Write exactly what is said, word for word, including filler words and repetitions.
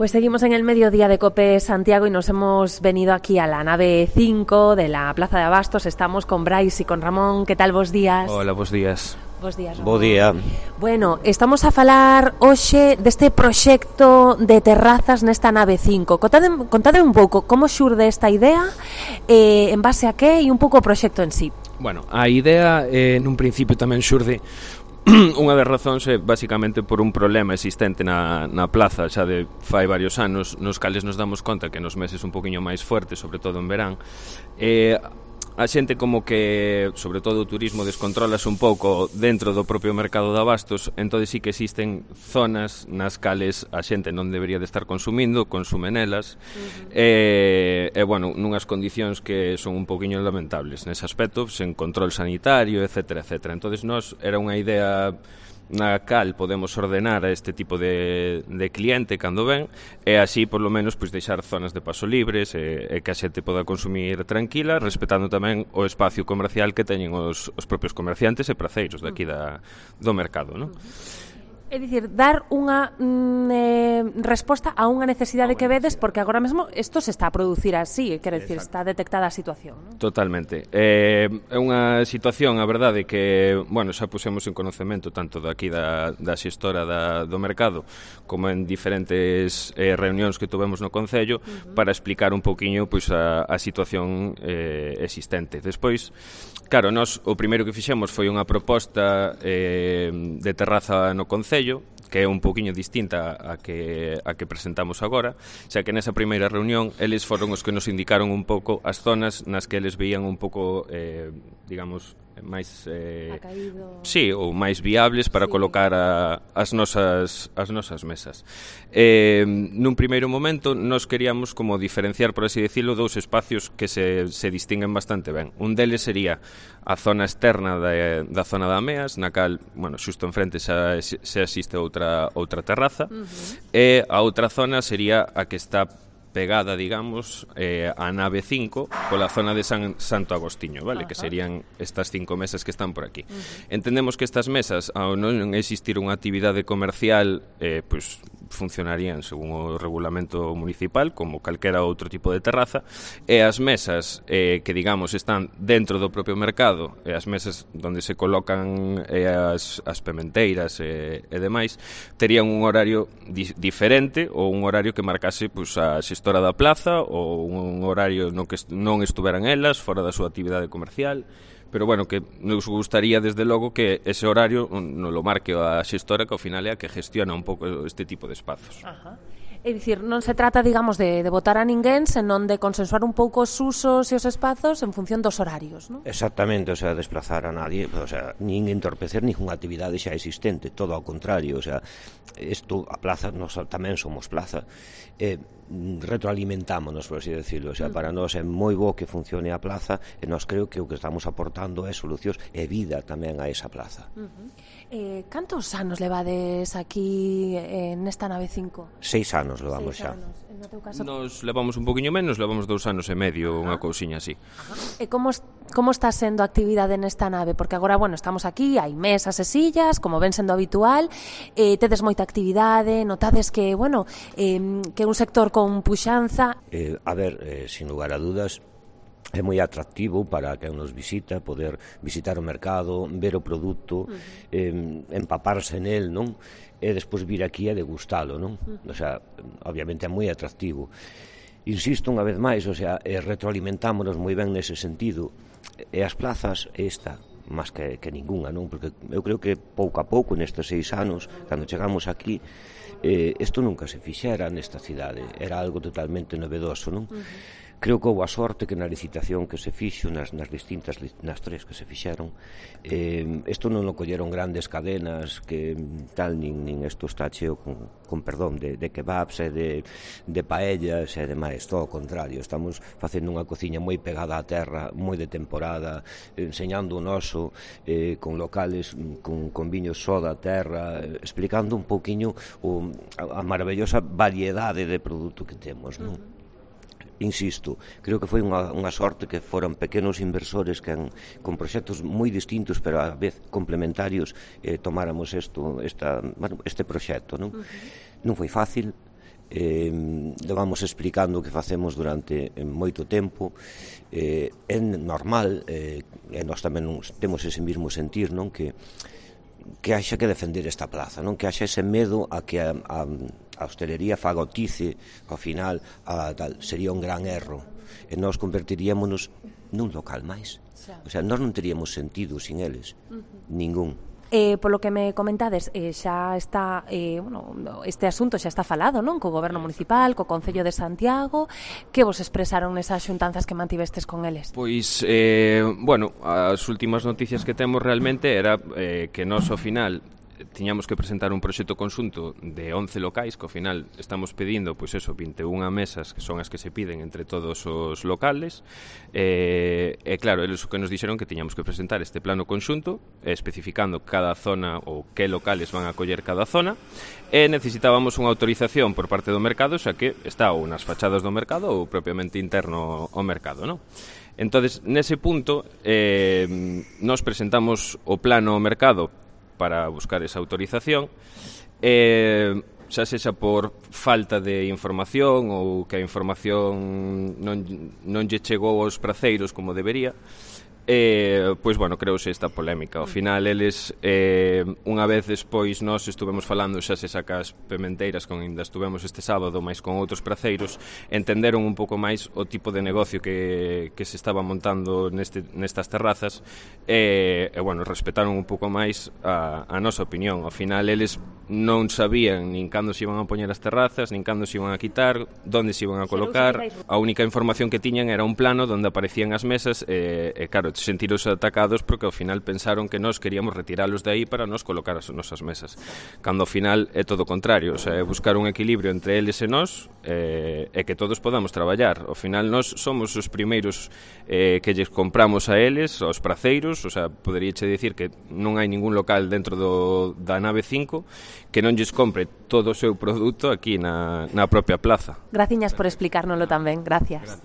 Pues seguimos en el mediodía de COPE Santiago y nos hemos venido aquí a la nave cinco de la Plaza de Abastos. Estamos con Brais y con Ramón. ¿Qué tal, vos días? Hola, vos días. Bos días, Ramón. Bo día. Bueno, estamos a falar hoxe deste proxecto de terrazas nesta nave cinco. Contade, contade un pouco como xurde esta idea, eh, en base a que e un pouco o proxecto en sí. Bueno, a idea eh, nun principio tamén xurde unha das razóns é basicamente por un problema existente na, na plaza xa de fai varios anos, nos cales nos damos conta que nos meses un poquinho máis fuertes, sobre todo en verán, eh, a xente como que, sobre todo o turismo, descontrolase un pouco dentro do propio mercado de abastos, entón sí que existen zonas nas cales a xente non debería de estar consumindo, consume nelas, uh-huh. e, e, bueno, nunhas condicións que son un poquinho lamentables nese aspecto, sen control sanitario, etcétera, etcétera. Entón, nos era unha idea na cal podemos ordenar a este tipo de, de cliente cando ven, e así, por lo menos, pois, deixar zonas de paso libres e, e que a xente poda consumir tranquila, respetando tamén o espacio comercial que teñen os, os propios comerciantes e praceiros daqui da, do mercado, non? É dicir, dar unha mm, eh, resposta a unha necesidade que vedes, porque agora mesmo isto se está a producir así, quero dicir, está detectada a situación, non? Totalmente. É eh, unha situación, a verdade, que, bueno, xa pusemos en conocemento tanto daqui da, da xestora da, do mercado como en diferentes eh, reunións que tuvemos no Concello, uh-huh. para explicar un pouquiño, pois, a, a situación eh, existente. Despois, claro, nós o primeiro que fixemos foi unha proposta eh, de terraza no Concello, que é un pouquiño distinta a que, a que presentamos agora, xa que nesa primeira reunión eles foron os que nos indicaron un pouco as zonas nas que eles veían un pouco, eh, digamos, máis eh, sí, ou máis viables para sí. colocar a, as nosas as nosas mesas. Eh, nun primeiro momento nos queríamos como diferenciar, por así decirlo, dous espacios que se, se distinguen bastante ben. Un deles sería a zona externa da, da zona da Meas, na cal, bueno, xusto enfrente xa, xa existe outra outra terraza, uh-huh. e a outra zona sería a que está pegada, digamos, eh, a nave cinco pola zona de San, Santo Agostiño, vale? Ajá. Que serían estas cinco mesas que están por aquí. Uh-huh. Entendemos que estas mesas, ao non existir unha actividade comercial, eh, pues, funcionarían según o regulamento municipal como calquera outro tipo de terraza, e as mesas eh, que, digamos, están dentro do propio mercado, e as mesas onde se colocan eh, as, as pementeiras e, e demais, terían un horario di- diferente ou un horario que marcase, pues, a xestora da plaza, ou un horario no que est- non estuveran elas fora da súa actividade comercial. Pero, bueno, que nos gustaría, desde logo, que ese horario non lo marque a xestora, que ao final é a que gestiona un pouco este tipo de espazos. Ajá. É dicir, non se trata, digamos, de, de votar a ninguén, senón de consensuar un pouco os usos e os espazos en función dos horarios, non? Exactamente, o sea, desplazar a nadie, o sea, nin entorpecer ninguna actividade xa existente, todo ao contrario, o sea, isto, a plaza, nós tamén somos plaza, eh, retroalimentámonos, por así decirlo, o sea, para nós é moi bo que funcione a plaza, e nós creo que o que estamos aportando é solucións e vida tamén a esa plaza. Uh-huh. Eh, cantos anos levades aquí eh, nesta nave cinco? Seis anos levamos Seis xa. Anos. No teu caso... Nos levamos un poquinho menos, levamos dous anos e medio, Ajá. unha cousiña así. Ajá. E como, como está sendo a actividade nesta nave? Porque agora, bueno, estamos aquí, hai mesas e sillas, como ven sendo habitual, eh, tedes moita actividade, notades que, bueno, eh, que é un sector con puxanza. Eh, a ver, eh, sin lugar a dudas, é moi atractivo para quen nos visita poder visitar o mercado, ver o produto, uh-huh. eh, empaparse nel, non? E despois vir aquí a degustalo, non? Uh-huh. O sea, obviamente é moi atractivo. Insisto unha vez máis, o sea, eh, retroalimentámonos moi ben nese sentido. E as plazas, esta, máis que, que ninguna, non? Porque eu creo que pouco a pouco, nestes seis anos, cando chegamos aquí, eh, isto nunca se fixera nesta cidade. Era algo totalmente novedoso, non? Uh-huh. Creo que houve a sorte que na licitación que se fixo, nas, nas distintas, nas tres que se fixeron, eh, isto non o colleron grandes cadenas que tal, nin, nin isto está cheo con, con perdón, de, de kebabs e de, de paellas e demais, todo o contrario, estamos facendo unha cociña moi pegada á terra, moi de temporada, enseñando o noso, eh, con locales, con, con viños só da terra, explicando un pouquiño o, a, a maravillosa variedade de produto que temos, non? Insisto, creo que foi unha, unha sorte que foran pequenos inversores que han, con proxectos moi distintos pero a vez complementarios, eh, tomáramos esto, esta, bueno, este proxecto, non? Uh-huh. Non foi fácil, eh, vamos explicando o que facemos durante moito tempo. Eh, é normal, eh, e nós tamén temos ese mesmo sentir, non, que que haxa que defender esta plaza, non, que haxa ese medo a que a, a, a hostelería fagotice, ao final a, tal, sería un gran erro, e nós convertiríamonos nun local máis. O sea, nós non teríamos sentido sin eles, uh-huh. ningún. Eh, polo que me comentades, eh, xa está, eh, bueno, este asunto xa está falado, non? Co Goberno Municipal, co Concello de Santiago. Que vos expresaron nesas xuntanzas que mantivestes con eles? Pois, eh, bueno, as últimas noticias que temos realmente era eh, que nós ao final tiñamos que presentar un proxecto conxunto de once locais, que ao final estamos pedindo, pois eso, vinte e unha mesas, que son as que se piden entre todos os locales, e, e claro, eles o que nos dixeron que tiñamos que presentar este plano conxunto, especificando cada zona ou que locales van a coller cada zona, e necesitábamos unha autorización por parte do mercado, xa que está ou nas fachadas do mercado ou propiamente interno ao mercado, non? Entonces, nese punto, eh, nos presentamos o plano ao mercado para buscar esa autorización, eh, xa sexa por falta de información ou que a información non, non lle chegou aos praceiros como debería, eh, pois, bueno, creouse esta polémica. Ao final, eles, eh, unha vez despois, nós estuvemos falando xa se sacas pementeiras, con ainda estuvemos este sábado, máis con outros praceiros, entenderon un pouco máis o tipo de negocio que, que se estaba montando neste, nestas terrazas, e, e, bueno, respetaron un pouco máis a, a nosa opinión. Ao final, eles non sabían nin cando se iban a poñer as terrazas, nin cando se iban a quitar, donde se iban a colocar. A única información que tiñan era un plano onde aparecían as mesas, e, e claro, sentiros atacados porque ao final pensaron que nós queríamos retiralos de aí para nos colocar as nosas mesas, cando ao final é todo o contrario, o sea, é buscar un equilibrio entre eles e nós, e, e que todos podamos traballar. Ao final nós somos os primeiros eh, que lles compramos a eles, aos praceiros, o sea, poderíache dicir que non hai ningún local dentro do, da nave cinco que non lles compre todo o seu produto aquí na, na propia plaza. Graciñas por explicárnoslo tamén, gracias. Gracias.